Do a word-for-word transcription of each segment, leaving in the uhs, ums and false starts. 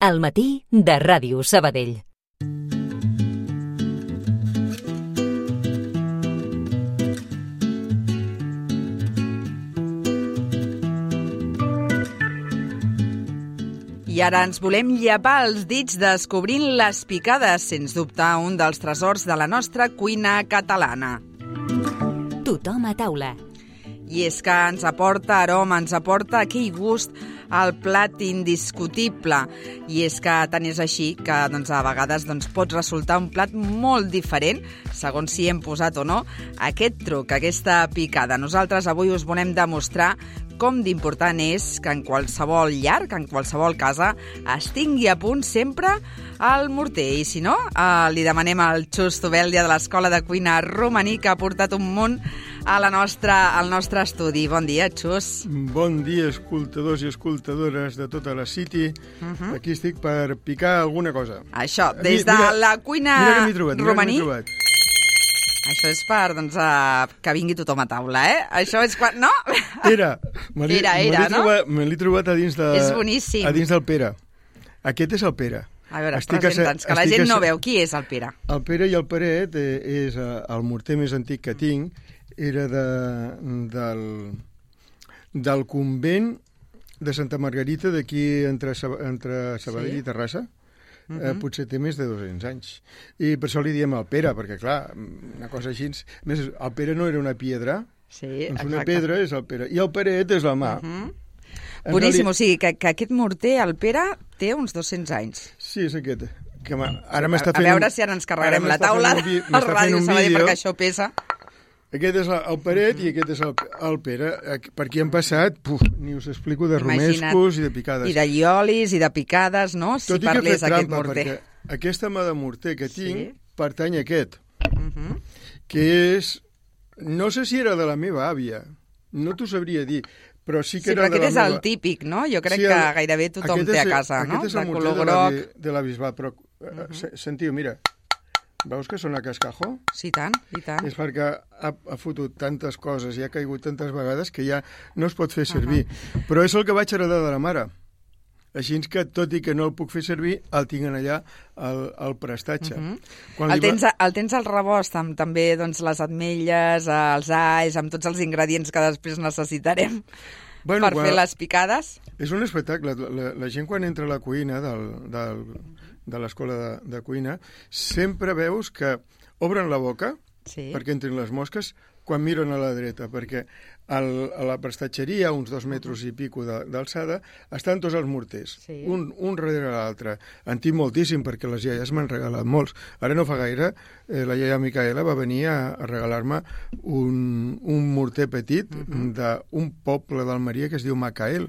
Al matí de Ràdio Sabadell. I ara ens volem llepar els dits descobrint les picades, sens dubte un dels tresors de la nostra cuina catalana. Tothom a taula. I és que ens aporta aroma, ens aporta aquell gust al plat indiscutible. I és que tant és així que doncs, a vegades doncs, pot resultar un plat molt diferent, segons si hem posat o no aquest truc, aquesta picada. Nosaltres avui us volem demostrar com d'important és que en qualsevol llar, que en qualsevol casa, es tingui a punt sempre el morter. I si no, eh, li demanem al Xus Tubèldia de l'Escola de Cuina Romaní, que ha portat un munt a la nostra, al nostre estudi. Bon dia, Xus. Bon dia, escoltadors i escoltadores de tota la City. Uh -huh. Aquí estic per picar alguna cosa. Això, des de mira, la cuina mira que m'he trobat, romaní. Mira que m'he trobat. Això és per, doncs, uh, que vingui tothom a taula, eh? Això és quan... No? Era. Me l'he, Era, era, me l'he no? trobat, me l'he trobat a dins de... És boníssim. A dins del Pere. Aquest és el Pere. A veure, Estic presenta'ns, que la estic gent a... no veu. Qui és el Pere? El Pere i el Peret eh, és eh, el morter més antic que tinc. Era de, del, del convent de Santa Margarita, d'aquí entre, entre Sabadell sí? i Terrassa. Uh -huh. eh, potser té més de dos-cents anys. I per això li diem el Pere, perquè, clar, una cosa així... Més, el Pere no era una piedra, sí, doncs exacte. una pedra és el Pere. I el Peret és la mà. Uh -huh. Boníssim, reali... o sigui, que, que aquest morter, el Pere, té uns dos-cents anys. Sí, és aquest. Que ara m'està fent... A veure si ara ens carregarem la taula al Ràdio Sabadell, perquè això pesa. Aquest és el Peret uh -huh. i aquest és el, el Pere. Per aquí han passat, puf, ni us explico, de Imagina't. romescos i de picades. I de llolis i de picades, no? Si Tot i parlés que he fet aquest trampa, morter. perquè aquesta mà de morter que tinc sí? pertany a aquest, uh -huh. que és... No sé si era de la meva àvia, no t'ho sabria dir, però sí que sí, era però de aquest la és meva... el típic, no? Jo crec sí, el... que gairebé tothom té a casa, aquest no? Aquest és el de morter color de la, groc. de la Bisbal, però... Uh -huh. Sentiu, mira... Veus que sona cascajo? Sí, i tant, i tant. És perquè ha, ha fotut tantes coses i ha caigut tantes vegades que ja no es pot fer servir. Uh -huh. Però és el que vaig heredar de la mare. Així que, tot i que no el puc fer servir, el tinc allà al, al prestatge. Uh -huh. Quan el, va... tens, el tens al rebost amb també doncs, les ametlles, els alls, amb tots els ingredients que després necessitarem bueno, per quan... fer les picades? És un espectacle. La, la, la gent quan entra a la cuina del... del de l'escola de, de cuina, sempre veus que obren la boca sí. perquè entrin les mosques quan miren a la dreta, perquè el, a la prestatgeria, a uns dos metres i pico d'alçada, estan tots els morters, sí. un, un darrere l'altre. En tinc moltíssim, perquè les iaies m'han regalat molts. Ara no fa gaire, eh, la iaia Micaela va venir a, a regalar-me un, un morter petit uh-huh. d'un poble d'Almeria que es diu Macael,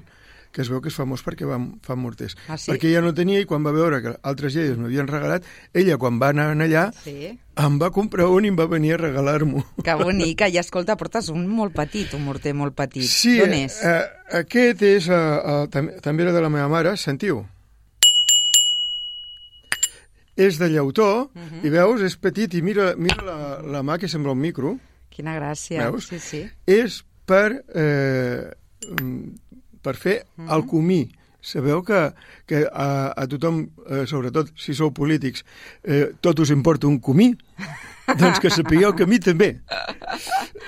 que es veu que és famós perquè va, fa morters. Ah, sí? Perquè ella no tenia, i quan va veure que altres iaies m'havien regalat, ella, quan va anar allà, sí. em va comprar un i em va venir a regalar-m'ho. Que bonica. I escolta, portes un molt petit, un morter molt petit. Sí, d'on és? Eh, aquest és, eh, eh, tam també era de la meva mare, sentiu? És de llautó, uh -huh. i veus, és petit, i mira, mira la, la mà que sembla un micro. Quina gràcia. Veus? Sí, sí. És per... Eh, per fer uh -huh. el comí. Sabeu que, que a, a tothom, eh, sobretot si sou polítics, eh, tot us importa un comí? Doncs que sapigueu que a mi també.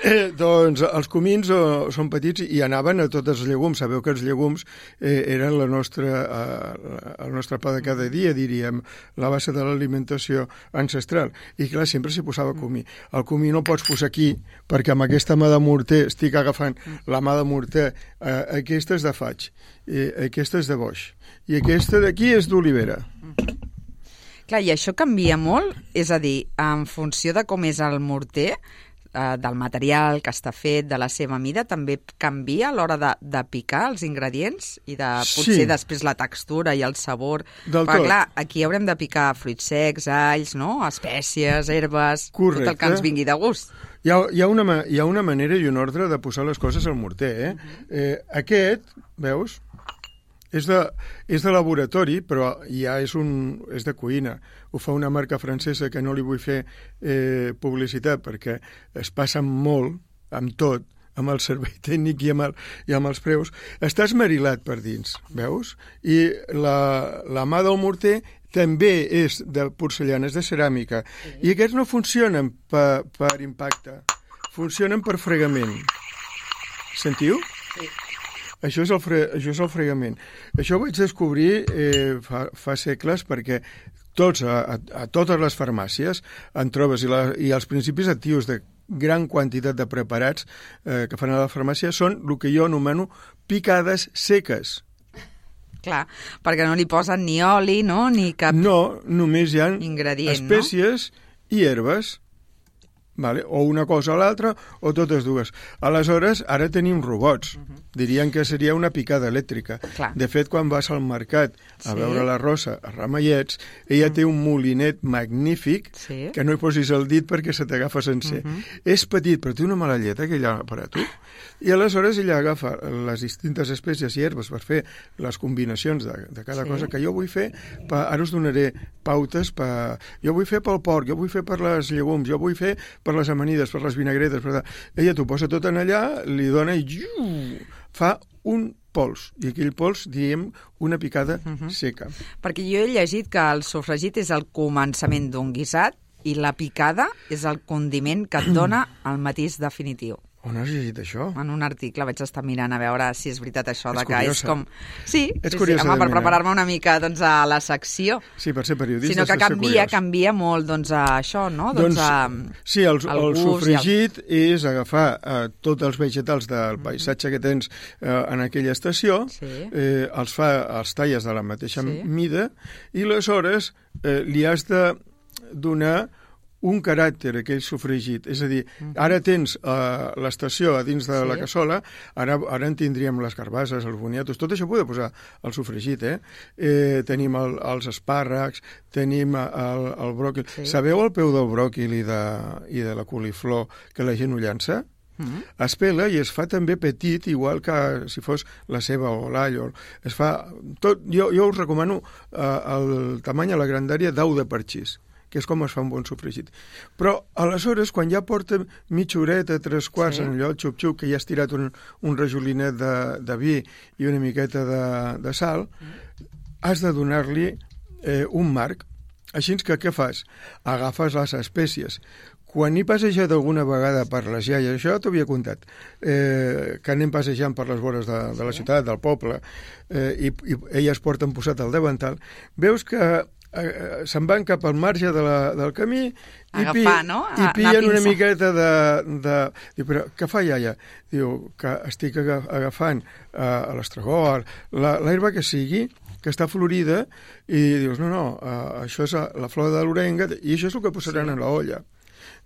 Eh, doncs els comins oh, són petits i anaven a tots els llegums. Sabeu que els llegums eh, eren la nostra, eh, el nostre pa de cada dia, diríem, la base de l'alimentació ancestral. I clar, sempre s'hi posava comí. El comí no el pots posar aquí, perquè amb aquesta mà de morter, estic agafant la mà de morter, eh, aquesta és de faig, eh, aquesta és de boix, i aquesta d'aquí és d'olivera. Clar, i això canvia molt? És a dir, en funció de com és el morter, eh, del material que està fet, de la seva mida, també canvia a l'hora de, de picar els ingredients i de potser sí. després la textura i el sabor. Del Perquè, tot. clar, aquí haurem de picar fruits secs, alls, no? Espècies, herbes, correcte. Tot el que ens vingui de gust. Hi ha, hi, ha una, hi ha una manera i un ordre de posar les coses al morter, eh? Uh-huh. eh aquest, veus? És de, és de laboratori, però ja és, un, és de cuina. Ho fa una marca francesa que no li vull fer eh, publicitat perquè es passa molt amb tot, amb el servei tècnic i amb, el, i amb els preus, està esmerilat per dins, veus? I la, la mà del morter també és de porcellanes de ceràmica. Sí. I aquests no funcionen per, per impacte, funcionen per fregament. Sentiu? Sí. Això és, el fre, això és el fregament. Això ho vaig descobrir eh, fa, fa segles perquè tots, a, a, a totes les farmàcies en trobes i, la, i els principis actius de gran quantitat de preparats eh, que fan a la farmàcia són el que jo anomeno picades seques. Clar, perquè no li posen ni oli, no?, ni cap no, només hi ha ingredient, espècies no? I herbes. Vale? O una cosa o l'altra, o totes dues. Aleshores, ara tenim robots. Uh-huh. Dirien que seria una picada elèctrica. Clar. De fet, quan vas al mercat a sí. veure la Rosa a Ramallets, ella uh-huh. té un molinet magnífic sí. que no hi posis el dit perquè se t'agafa sencer. Uh-huh. És petit, però té una mala llet, aquell aparato. I aleshores ella agafa les distintes espècies i herbes per fer les combinacions de, de cada sí. cosa que jo vull fer. Pa, ara us donaré pautes. Pa, jo vull fer pel porc, jo vull fer per les llegums, jo vull fer per les amanides, per les vinagretes. Per... Ella t'ho posa tot en allà, li dona i iu, fa un pols. I aquell pols, diem, una picada uh-huh. seca. Perquè jo he llegit que el sofregit és el començament d'un guisat i la picada és el condiment que et dona el matís definitiu. On has llegit això? En un article vaig estar mirant a veure si és veritat això. És de que curiosa. És com... Sí, Ets sí, curiosa sí home, per mirar. preparar-me una mica doncs, a la secció. Sí, per ser periodista. Sinó que canvia, canvia molt doncs, a això, no? Doncs, doncs a, sí, el, el, el sofregit el... és agafar eh, tots els vegetals del paisatge que tens eh, en aquella estació, sí. eh, els, fa, els talles de la mateixa sí. mida, i aleshores eh, li has de donar un caràcter, aquell sofregit. És a dir, ara tens uh, l'estació a dins de sí. la cassola, ara, ara en tindríem les carbasses, els boniatos, tot això ho podeu posar al sofregit, eh? eh tenim el, els espàrrecs, tenim el, el bròquil. Sí. Sabeu el peu del bròquil i de, i de la coliflor que la gent ho llança? Mm-hmm. Es pela i es fa també petit, igual que si fos la ceba o l'all. Es fa tot, jo, jo us recomano uh, el tamany a la grandària d'au de parxís, que és com es fa un bon sofregit. Però, aleshores, quan ja porta mitja horeta, tres quarts, sí. en allò, xup-xup, que ja has tirat un, un rajolinet de, de vi i una miqueta de, de sal, mm. has de donar-li eh, un marc. Així que què fas? Agafes les espècies. Quan he passejat alguna vegada per les iaies, això t'ho havia contat, eh, que anem passejant per les vores de, de la ciutat, del poble, eh, i, i elles porten posat al davantal, veus que se'n van cap al marge de la, del camí i, Agafar, pi, no? i pillen una miqueta de... de diu, però què fa iaia? Diu, que estic agafant uh, l'estragó, l'herba que sigui, que està florida, i dius, no, no, uh, això és la flor de l'orenga, i això és el que posaran sí. a l'olla.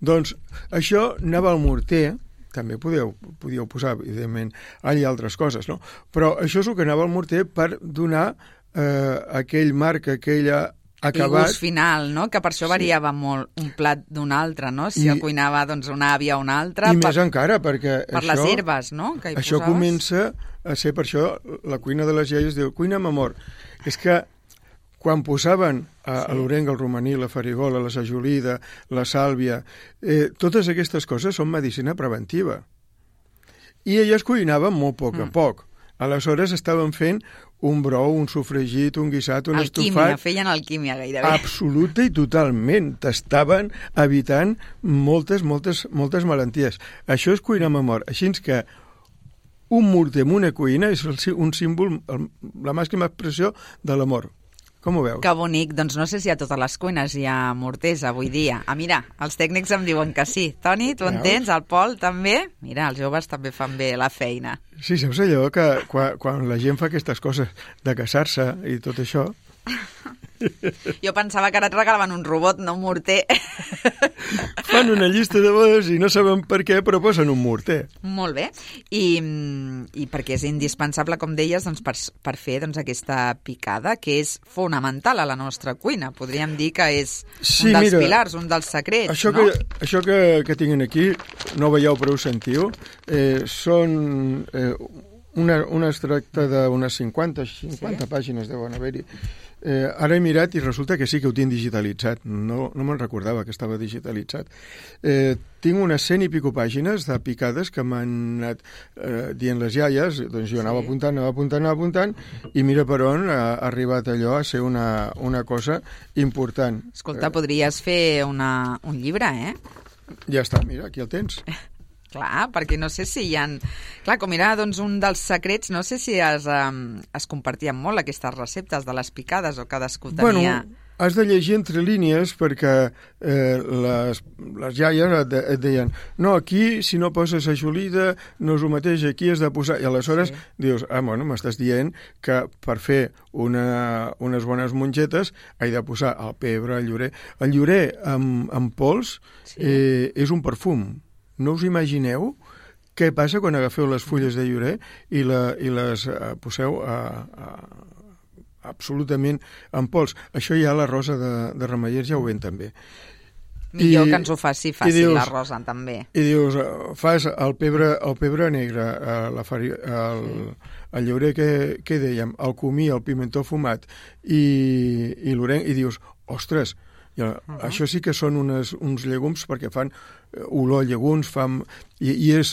Doncs això anava al morter, també podeu, podíeu posar, evidentment, all i altres coses, no? Però això és el que anava al morter per donar uh, aquell marc, aquella acabat. I gust final, no? Que per això variava sí. molt un plat d'un altre, no? Si I, el cuinava doncs, una àvia o una altra. I per, més encara, perquè per això... les herbes, no? Que hi això posaves. Comença a ser, per això, la cuina de les iaies diu, cuina amb amor. És que quan posaven a, sí. a l'orenga, el romaní, la farigola, la sajolida, la sàlvia, eh, totes aquestes coses són medicina preventiva. I elles cuinaven molt poc a mm. poc. Aleshores estaven fent un brou, un sofregit, un guisat, un alquímia, estofat... Alquímia, feien alquímia gairebé. Absoluta i totalment. T'estaven evitant moltes, moltes, moltes malalties. Això és cuinar amb amor. Així que un morter en una cuina és un símbol, la màxima expressió de l'amor. Com ho veus? Que bonic. Doncs no sé si a totes les cuines hi ha morters avui dia. Ah, mira, els tècnics em diuen que sí. Toni, tu entens? El Pol també? Mira, els joves també fan bé la feina. Sí, saps allò que quan, quan la gent fa aquestes coses de casar-se i tot això... Jo pensava que ara et regalaven un robot, no un morter. Fan una llista de bodes i no saben per què, però posen un morter. Molt bé. I, i perquè és indispensable, com deies, doncs, per, per fer doncs, aquesta picada, que és fonamental a la nostra cuina. Podríem dir que és sí, un dels mira, pilars, un dels secrets, això no? Que, això que, que tinguin aquí, no veieu però ho sentiu, eh, són... Eh, Una, un extracte d'unes cinquanta, cinquanta sí. pàgines deuen haver-hi. Eh, ara he mirat i resulta que sí que ho tinc digitalitzat. No, no me'n recordava que estava digitalitzat. Eh, tinc unes cent i pico pàgines de picades que m'han anat eh, dient les iaies, doncs jo anava sí. apuntant, anava apuntant, anava apuntant, i mira per on ha arribat allò a ser una, una cosa important. Escolta, podries fer una, un llibre, eh? Ja està, mira, aquí el tens. Clar, perquè no sé si hi ha... Clar, com era doncs, un dels secrets, no sé si es, um, es compartien molt aquestes receptes de les picades o cadascú tenia... Bueno, has de llegir entre línies perquè eh, les, les iaies et, de, et deien no, aquí si no poses ajolida no és el mateix, aquí has de posar... I aleshores sí. dius, ah, bueno, m'estàs dient que per fer una, unes bones mongetes he de posar el pebre, el llorer... El llorer amb, amb pols sí. eh, és un perfum. No us imagineu què passa quan agafeu les fulles de llorer i, la, i les uh, poseu a, a, absolutament en pols. Això ja la Rosa de, de Remeiers ja ho ven també. Millor I, que ens ho faci fàcil dius, la Rosa també. I dius, fas el pebre, el pebre negre, la fari, el, sí. el llorer que, que dèiem, el comí, el pimentó fumat i, i l'orenc, i dius, ostres, ja, uh-huh. això sí que són unes, uns llegums perquè fan olor a llegums, fan, i, i és,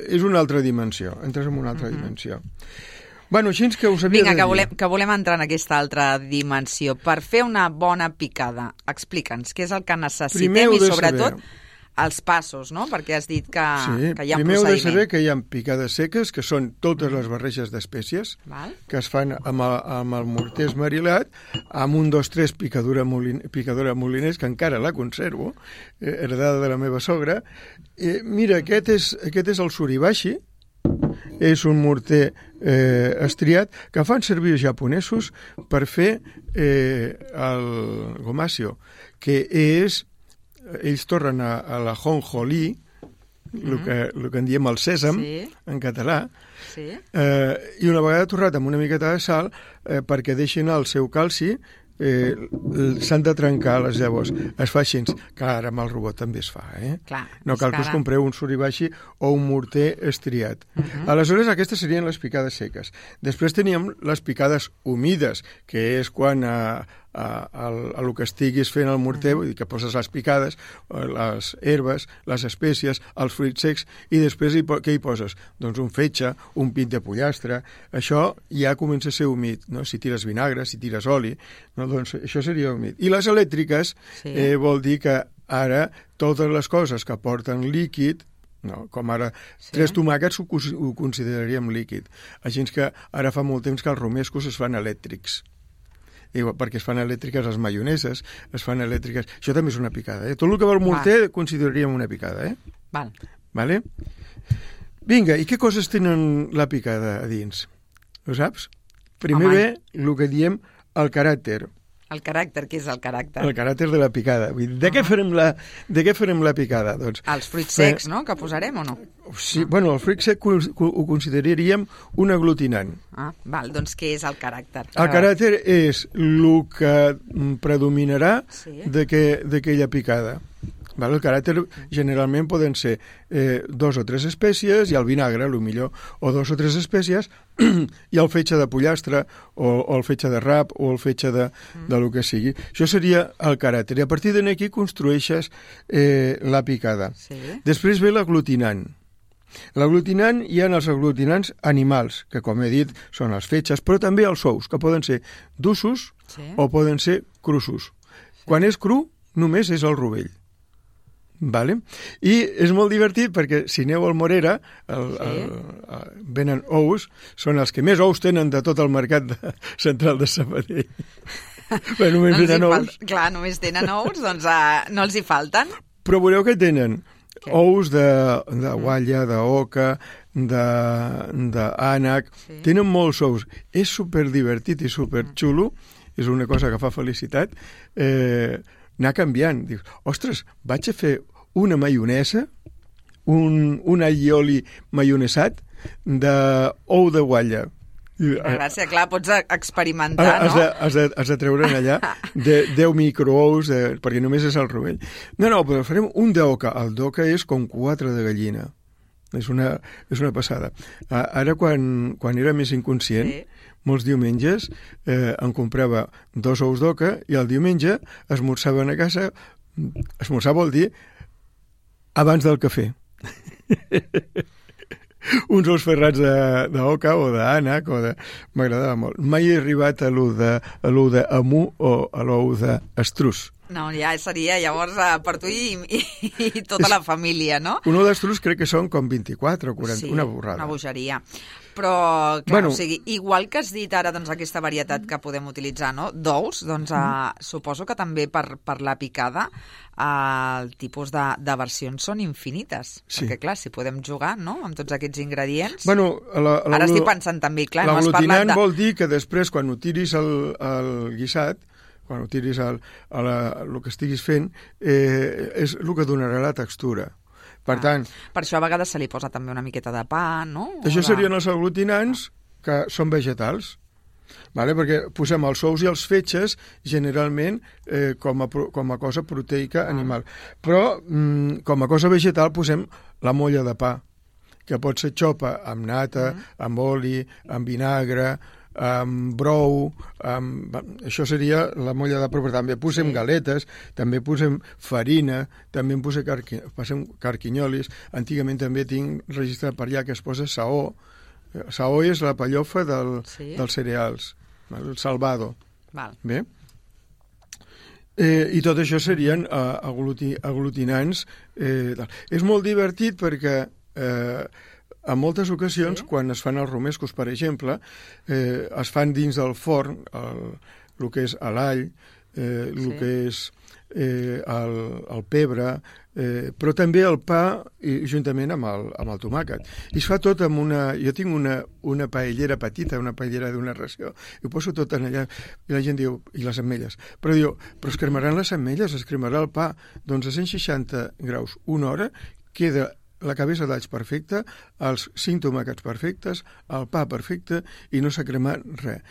és una altra dimensió, entres en una altra uh-huh. dimensió. Bueno, així que us havia Vinga, de que dir. volem, que volem entrar en aquesta altra dimensió. Per fer una bona picada, explica'ns què és el que necessitem i sobretot saber. Els passos, no? Perquè has dit que, sí, que hi ha un primer procediment. Primer heu de saber que hi ha picades seques, que són totes les barreges d'espècies, Val. que es fan amb el, amb el morter esmarilat, amb un, dos, tres picadura, molin, picadora moliners, que encara la conservo, eh, heredada de la meva sogra. Eh, mira, aquest és, aquest és el suribashi, és un morter eh, estriat que fan servir els japonesos per fer eh, el gomasio, que és... ells tornen a, a la jonjolí, el mm. que, el que en diem el sèsam, sí. en català, sí. eh, i una vegada torrat amb una miqueta de sal, eh, perquè deixin el seu calci, eh, s'han de trencar les llavors. Es fa així, que ara amb el robot també es fa, eh? Clar, no cal que us compreu un suribashi o un morter estriat. Uh -huh. Aleshores, aquestes serien les picades seques. Després teníem les picades humides, que és quan a, a, a, a el que estiguis fent el morter, vull dir que poses les picades, les herbes, les espècies, els fruits secs, i després hi, què hi poses? Doncs un fetge, un pit de pollastre, això ja comença a ser humit, no? Si tires vinagre, si tires oli, no? Doncs això seria humit. I les elèctriques sí. eh, vol dir que ara totes les coses que porten líquid, no, com ara sí. tres tomàquets ho, ho consideraríem líquid. Així que ara fa molt temps que els romescos es fan elèctrics. I, perquè es fan elèctriques les maioneses, es fan elèctriques... Això també és una picada, eh? Tot el que va al morter Va. consideraríem una picada, eh? Val. Vale? Vinga, i què coses tenen la picada a dins? Ho saps? Primer ve el que diem el caràcter. El caràcter, què és el caràcter? El caràcter de la picada. Vull dir, de, uh-huh. què farem la, de què farem la picada? Doncs, els fruits secs, no?, que posarem o no? Sí, uh-huh. bueno, el fruit sec ho consideraríem un aglutinant. Ah, val, doncs què és el caràcter? El caràcter és el que predominarà sí. d'aquella picada. Val? El caràcter generalment poden ser eh, dos o tres espècies i el vinagre, el millor, o dos o tres espècies i el fetge de pollastre o, o el fetge de rap o el fetge de, mm. de lo que sigui. Això seria el caràcter. I a partir d'aquí construeixes eh, la picada. Sí. Després ve l'aglutinant. L'aglutinant, hi ha els aglutinants animals, que com he dit són els fetges, però també els ous, que poden ser d'ussos sí. o poden ser crussos. Sí. Quan és cru, només és el rovell. Vale? I és molt divertit perquè si aneu al Morera el, sí. el, el, venen ous, són els que més ous tenen de tot el mercat de, central de Sabadell. Bé, només no tenen ous. Fal... Clar, només tenen ous, doncs uh, no els hi falten. Però veureu que tenen Què? ous de, de gualla, d'oca, d'ànec, sí. tenen molts ous. És superdivertit i superxulo, és una cosa que fa felicitat, eh, anar canviant. Dius, ostres, vaig a fer una maionesa, un, un allioli maionesat d'ou de gualla. Gràcies, clar, pots experimentar, has no? De, has, de, has de treure'n allà de deu microous, de, perquè només és el rovell. No, no, però farem un d'oca. El d'oca és com quatre de gallina. És una, és una passada. Ara, quan, quan era més inconscient, sí. molts diumenges eh, em comprava dos ous d'oca i el diumenge esmorzaven a casa. Esmorzar vol dir abans del cafè. Uns ous ferrats d'oca o d'ànec o de... M'agradava molt. Mai he arribat a l'ou de, a l'ou d'amú o a l'ou d'estrus. No, ja seria llavors per tu i, i, i tota la família, no? Un ou d'estrus crec que són com vint-i-quatre o quaranta, sí, una borrada. Una bogeria. Però, clar, Bueno. o sigui, igual que has dit ara doncs, aquesta varietat que podem utilitzar, no?, d'ous, doncs eh, suposo que també per, per la picada eh, el tipus de, de versions són infinites. Sí. Perquè, clar, si podem jugar, no?, amb tots aquests ingredients... Bueno, la, la, ara estic pensant també, clar, no has l'aglutinant parlat de... vol dir que després, quan ho tiris al, al guisat, quan ho tiris al, a la, el que estiguis fent, eh, és el que donarà la textura. Per Ah, tant, per això a vegades se li posa també una miqueta de pa, no? O això de- serien els aglutinants que són vegetals, vale? Perquè posem els ous i els fetges generalment eh, com, a, pro- com a cosa proteica animal. Però mm, com a cosa vegetal posem la molla de pa, que pot ser xopa amb nata, amb oli, amb vinagre, amb brou, amb... això seria la molla de pa, però també posem Sí. galetes, també posem farina, també en posem, carqui... posem carquinyolis, antigament també tinc registrat per allà que es posa saó. Saó és la pellofa del, Sí. dels cereals, el salvado. Val. Bé? Eh, I tot això serien eh, agluti, aglutinants. Eh, tal. És molt divertit perquè eh, en moltes ocasions, Sí. quan es fan els romescos, per exemple, eh, es fan dins del forn el, el que és l'all, eh, el Sí. que és eh, el, el pebre, eh, però també el pa i, juntament amb el, amb el tomàquet. I es fa tot amb una... Jo tinc una, una paellera petita, una paellera d'una ració, i ho poso tot en allà, i la gent diu, i les ametlles. Però diu, però es cremaran les ametlles, es cremarà el pa. Doncs a cent seixanta graus, una hora, queda la cabeza d'alls perfecta, els cinc tomàquets perfectes, el pa perfecte, i no s'ha cremat res.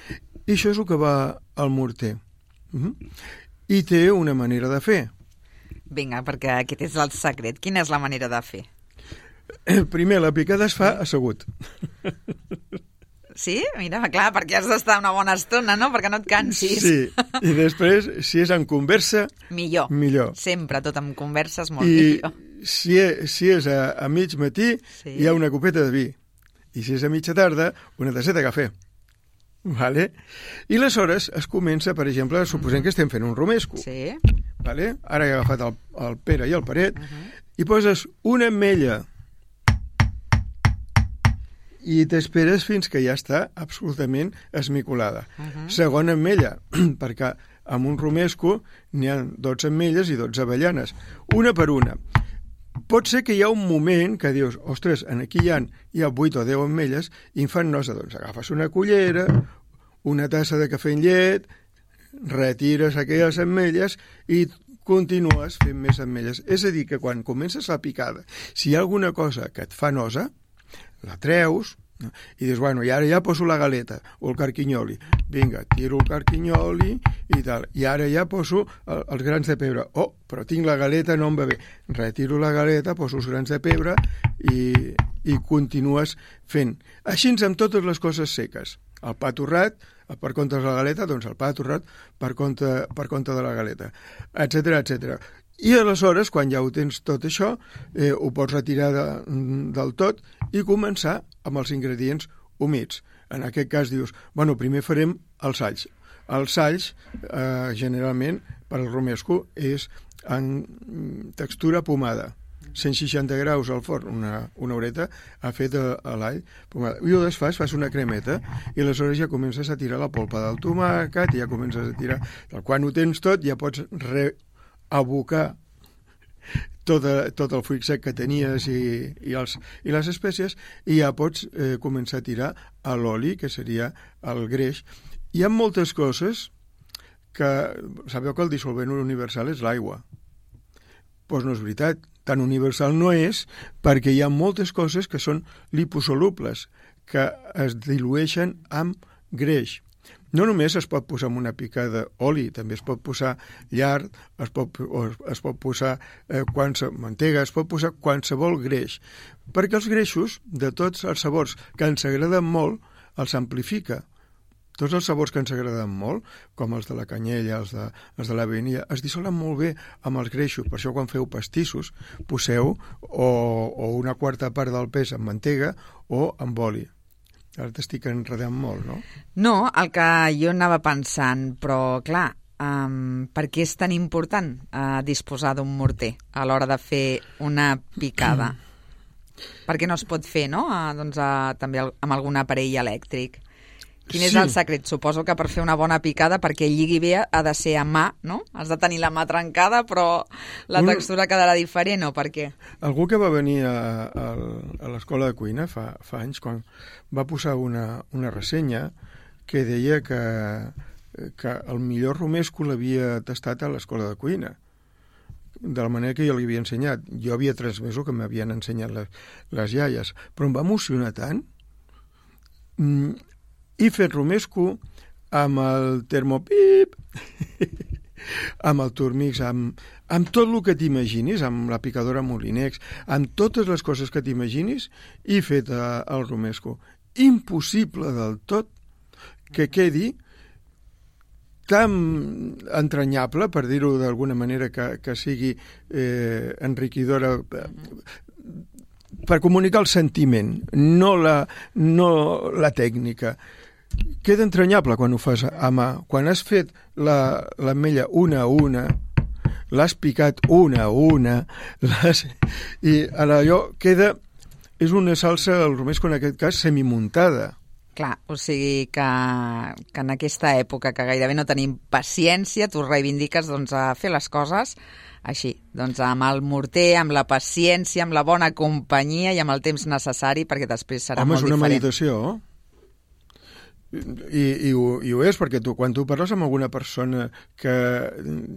I això és el que va al morter. Uh-huh. I té una manera de fer. Vinga, perquè aquest és el secret. Quina és la manera de fer? Primer, la picada es fa assegut. Sí? Mira, clar, perquè has d'estar una bona estona, no?, perquè no et cansis. Sí, i després, si és en conversa, Millor. millor. Sempre, tot amb converses, molt I millor. si és, si és a, a mig matí, Sí. hi ha una copeta de vi. I si és a mitja tarda, una tasseta de cafè. Vale? I aleshores es comença, per exemple, suposem que estem fent un romesco. Sí. Vale? Ara he agafat el, el Pere i el Paret, uh-huh. i poses una ametlla i t'esperes fins que ja està absolutament esmicolada. Uh-huh. Segona ametlla, perquè amb un romesco n'hi ha dotze ametlles i dotze avellanes, una per una. Pot ser que hi ha un moment que dius, ostres, aquí hi ha, hi ha vuit o deu ametlles i em fan nosa, doncs agafes una cullera, una tassa de cafè amb llet, retires aquelles ametlles i continues fent més ametlles. És a dir, que quan comences la picada, si hi ha alguna cosa que et fa nosa, la treus, no? I dius, bueno, i ara ja poso la galeta o el carquinyoli. Vinga, tiro el carquinyoli i tal. I ara ja poso el, els grans de pebre. Oh, però tinc la galeta, no em va bé. Retiro la galeta, poso els grans de pebre i, i continues fent. Així amb totes les coses seques. El pa torrat, per compte de la galeta, doncs el pa torrat per compte, per compte de la galeta, etcètera, etcètera. I aleshores, quan ja ho tens tot això, eh, ho pots retirar de, del tot i començar amb els ingredients humits. En aquest cas dius, bueno, primer farem els alls. Els alls, eh, generalment, per al romesco, és en textura pomada. cent seixanta graus al forn, una, una horeta, ha fet l'all pomada. I ho desfas, fas una cremeta, i aleshores ja comences a tirar la polpa del tomàquet, i ja comences a tirar... Quan ho tens tot, ja pots re abocar tot, tot el fruit sec que tenies i, i, els, i les espècies, i ja pots eh, començar a tirar a l'oli, que seria el greix. Hi ha moltes coses que... Sabeu que el dissolvent universal és l'aigua. Doncs no és veritat. Tan universal no és, perquè hi ha moltes coses que són liposolubles, que es dilueixen amb greix. No només es pot posar amb una pica d'oli, també es pot posar llard, es pot, o es pot posar eh, qualsevol mantega, es pot posar qualsevol greix, perquè els greixos, de tots els sabors que ens agraden molt, els amplifica. tots els sabors que ens agraden molt, com els de la canyella, els de, els de la vainilla, es dissolen molt bé amb els greixos. Per això quan feu pastissos, poseu o, o una quarta part del pes amb mantega o amb oli. Ara t'estic enredant molt, no? No, el que jo anava pensant, però clar, um, per què és tan important uh, disposar d'un morter a l'hora de fer una picada? Per què no es pot fer, no? Uh, doncs, uh, també amb algun aparell elèctric. Quin és sí. el secret? Suposo que per fer una bona picada, perquè lligui bé, ha de ser a mà, no? Has de tenir la mà trencada, però la Un... textura quedarà diferent, o per què? Algú que va venir a, a, a l'escola de cuina fa, fa anys, quan va posar una, una ressenya que deia que, que el millor romesco l'havia tastat a l'escola de cuina, de la manera que jo li havia ensenyat. Jo havia transmès que m'havien ensenyat les, les iaies, però em va emocionar tant. Mm, he fet romesco amb el termopip, amb el turmix, amb, amb tot el que t'imaginis, amb la picadora Molinex, amb totes les coses que t'imaginis, he fet uh, el romesco. Impossible del tot que quedi tan entranyable, per dir-ho d'alguna manera, que, que sigui eh, enriquidora, eh, per comunicar el sentiment, no la, no la tècnica. Queda entranyable quan ho fas a mà. Quan has fet l'ametlla una a una, l'has picat una a una, i allò queda... És una salsa, el romesco en aquest cas, semimuntada. Clar, o sigui que, que en aquesta època que gairebé no tenim paciència, tu reivindiques doncs, a fer les coses així, doncs amb el morter, amb la paciència, amb la bona companyia i amb el temps necessari, perquè després serà Home, molt diferent. Home, és una meditació. I, i, ho, i ho és, perquè tu, quan tu parles amb alguna persona que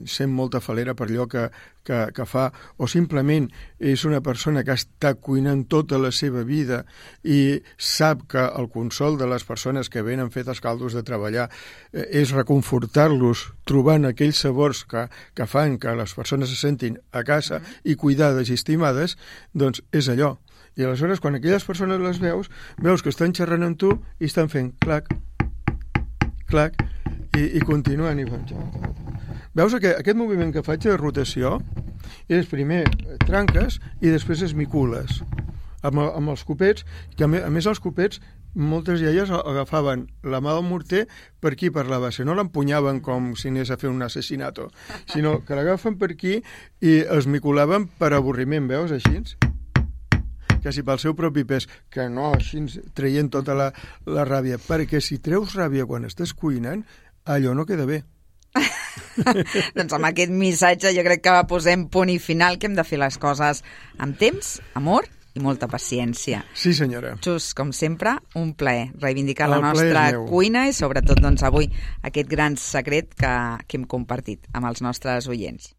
sent molta falera per allò que, que, que fa, o simplement és una persona que està cuinant tota la seva vida i sap que el consol de les persones que venen fetes caldos de treballar eh, és reconfortar-los trobant aquells sabors que, que fan que les persones se sentin a casa i cuidades i estimades, doncs és allò. I aleshores, quan aquelles persones les veus, veus que estan xerrant amb tu i estan fent clac, clac, i, i continuen. I fan... Veus que aquest moviment que faig de rotació és primer tranques i després esmicules amb, amb els copets, que a més, a més els copets moltes iaies agafaven la mà del morter per aquí, per la base, no l'empunyaven com si anés a fer un assassinato, sinó que l'agafen per aquí i esmiculaven per avorriment, veus, així? Quasi pel seu propi pes, que no així traient tota la, la ràbia, perquè si treus ràbia quan estàs cuinant, allò no queda bé. Doncs amb aquest missatge jo crec que posem punt i final, que hem de fer les coses amb temps, amor i molta paciència. Sí, senyora. Xus, com sempre, un plaer reivindicar El la nostra meu. cuina i sobretot doncs, avui aquest gran secret que, que hem compartit amb els nostres oients.